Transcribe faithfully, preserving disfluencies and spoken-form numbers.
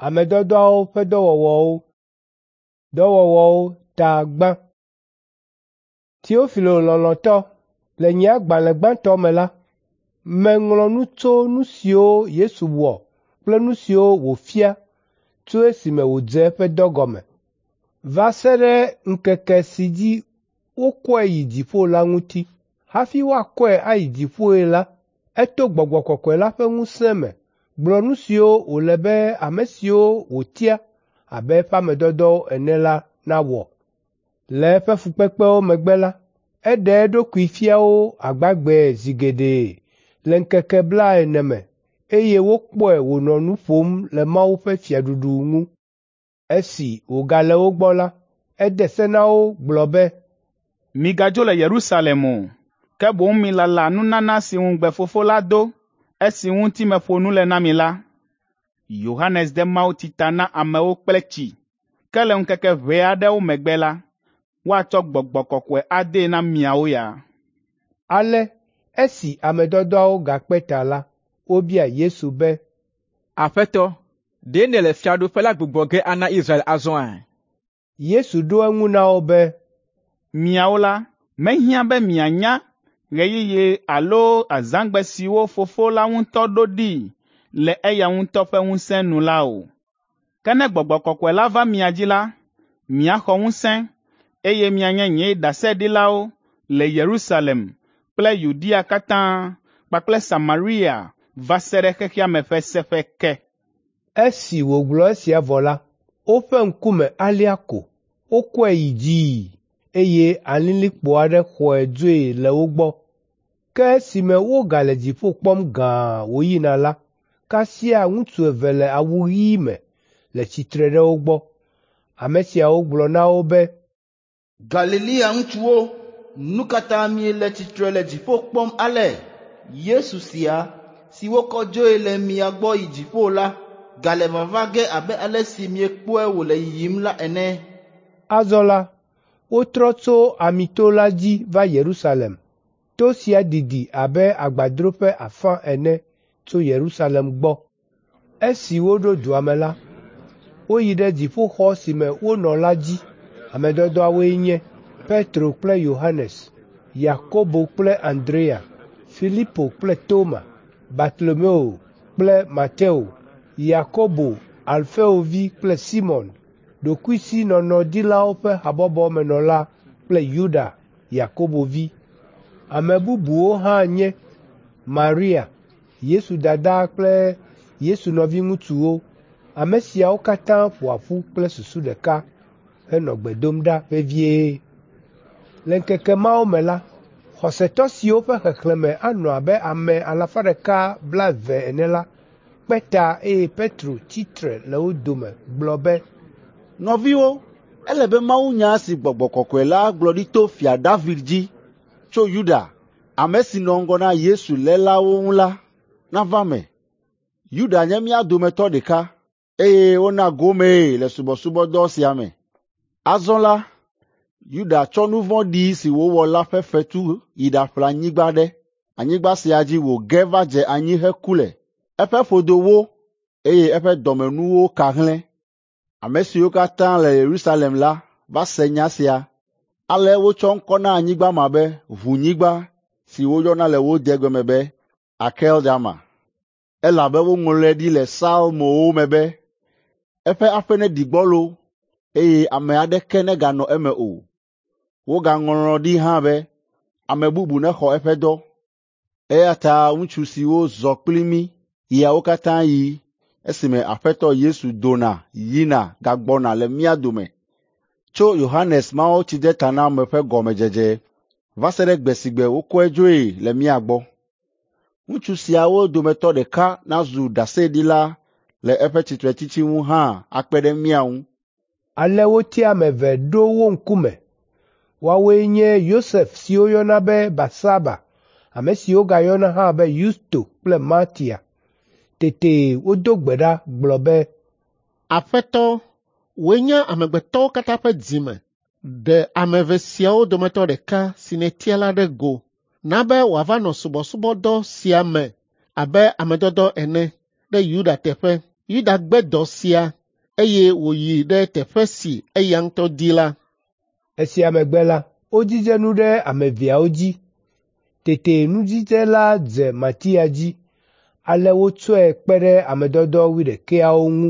Ame dɔdɔawo ƒe dɔwɔwɔwo. Dɔwɔwɔwo ta gbã. Teofilo lɔlɔ̃tɔ, le nye agbalẽ gbãtɔ me la, meŋlɔ nu tso nu siwo Yesu wɔ kple nu siwo wòfia tso esime wòdze eƒe dɔ gɔme va se ɖe ŋkeke si dzi wokɔe yi dziƒo la ŋuti. Hafi woakɔe ayi dziƒoe la, eto Gbɔgbɔ Kɔkɔe la ƒe ŋusẽ me gblɔ nu siwo wòle be ame siwo wòtia abe eƒe ame dɔdɔwo ene la nawɔ. Le eƒe fukpekpewo megbe la, eɖe eɖokui fia wo agbagbee zi geɖe le ŋkeke blaene me eye wokpɔe wònɔ nu ƒom le Mawu ƒe fiaɖuɖu ŋu. Esi wògale wo gbɔ la, ede se na wo gblɔ be, “Migadzo le Yerusalem o, ke boŋ milala nunana si ŋugbe Fofo la do, esi ŋuti meƒo nu le na mi la. Yohanes de mawutsi ta na amewo kple tsi, ke le ŋkeke ʋɛ aɖewo megbe la, woatsɔ Gbɔgbɔ Kɔkɔe adee na miawo ya.” Ale esi ame dɔdɔawo gakpe ta la, wobia Yesu be, “Aƒetɔ, ɖe nèle fiaɖuƒe la gbugbɔ ge ana Israel azɔa?” Yesu ɖo eŋu na wo be, “Miawo la, mehiã be mianya ɣeyiɣi alo azãgbe siwo Fofo la ŋutɔ ɖo ɖi le eya ŋutɔ ƒe ŋusẽ nu la o. Ke ne Gbɔgbɔ Kɔkɔe la va mia dzi la, miaxɔ ŋusẽ, eye mianye nye ɖaseɖilawo le Yerusalem kple Yudea katã kpakple Samaria va se ɖe xexea me ƒe seƒe ke.” Esi wògblɔ esia vɔ la, woƒe ŋkume alia ko, wokɔe yi dzii, eye alilikpo aɖe xɔe dzoe le wo gbɔ. Ke esime wogale dziƒo kpɔm gãa wòyina la, kasia ŋutsu eve le awu ɣi me le tsitre ɖe wo gbɔ. Ame siawo gblɔ na wo be, “Galilea ŋutsuwo, nu ka ta miele tsitre le dziƒo kpɔm ale? Yesu sia, si wokɔ dzoe le mia gbɔ yi dziƒo la, gale vava ge abe ale si miekpɔe wòle yiyim la ene.” Azɔ la, wotrɔ tso Amito la dzi va Yerusalem. To sia didi abe agbadroƒe afã ene tso Yerusalem gbɔ. Esi woɖo dua me la, woyi ɖe dziƒoxɔ si me wonɔ la dzi. Ame dɔdɔawoe nye Petro kple Yohanes, Yakobo kple Andrea, Filipo kple Toma, Bartolomeo kple Mateo, Yakobo Alfeo vi kple Simɔn, ɖokuisinɔnɔdilawo ƒe habɔbɔmenɔla kple Yuda, Yakobo vi. Ame bubuwo hã nye Maria, Yesu dada kple Yesu nɔviŋutsuwo. Ame siawo katã ƒo ƒu kple susu ɖeka henɔ gbe dom ɖa vevie. Le ŋkeke mawo me la, xɔsetɔ siwo ƒe xexlẽme anɔ abe ame alafa ɖeka blaeve ene la kpe ta eye Petro tsi tre le wo dome gblɔ be, “Nɔviwo, ele be mawunya si Gbɔgbɔ Kɔkɔe la gblɔ ɖi to Fia David dzi tso Yuda, ame si nɔ ŋgɔ na Yesu lélawo ŋu la, nava eme. Yuda nye mía dometɔ ɖeka, eye wona gomee le subɔsubɔdɔ sia me. Azɔ la, Yuda tsɔ nu vɔ̃ɖi si wòwɔ la ƒe fetu yi ɖaƒle anyigba aɖe. Anyigba sia dzi wòge va dze anyi heku le. Eƒe ƒodo wó, eye eƒe dɔmenuwo ka hlẽ. Ame siwo katã le Yerusalem la va se nya sia. Ale wotsɔ ŋkɔ na anyigba ma be Ʋunyigba si woyɔna le wo degbe me be Akeldama, elabe woŋlɔe ɖi le Psalmowo me be, ‘Eƒe aƒe neɖi gbɔlo, eye ame aɖeke neganɔ eme o.’ Wogaŋlɔ ɖi hã be, ‘Ame bubu nexɔ eƒe dɔ.’ Eya ta ŋutsu siwo zɔ kpli mí ɣeawo katã ɣi esime Aƒetɔ Yesu dona yina gagbɔna le mía dome tso Yohanes Mawutsidetaname ƒe gɔmedzedze va se ɖe gbe si gbe wokɔe dzoe le mía gbɔ. Ŋutsu siawo dometɔ ɖeka nazu ɖaseɖila le eƒe tsitretsitsi ŋu hã akpe ɖe mía ŋu.” Ale wotia ame eve ɖo wo ŋkume. Woawoe nye Yosef si woyɔna be Barsaba, ame si wogayɔna hã be Yusto kple Matia. Tete wodo gbe ɖa gblɔ be, “Aƒetɔ, wòe nye amegbetɔwo katã ƒe dzime. Ɖe ame eve siawo dometɔ ɖeka si nètia la ɖe go, na be wòava nɔ subɔsubɔdɔ sia me abe ame dɔdɔ ene ɖe Yuda teƒe, Yuda gbe dɔ sia, eye wòyi ɖe teƒe si eya ŋutɔ di la. Esia megbe la, wodzidze nu ɖe ame eveawo dzi. Tete nudzidze la dze Matia dzi, ale wotsɔe kpe ɖe ame dɔdɔ wuiɖekɛawo ŋu.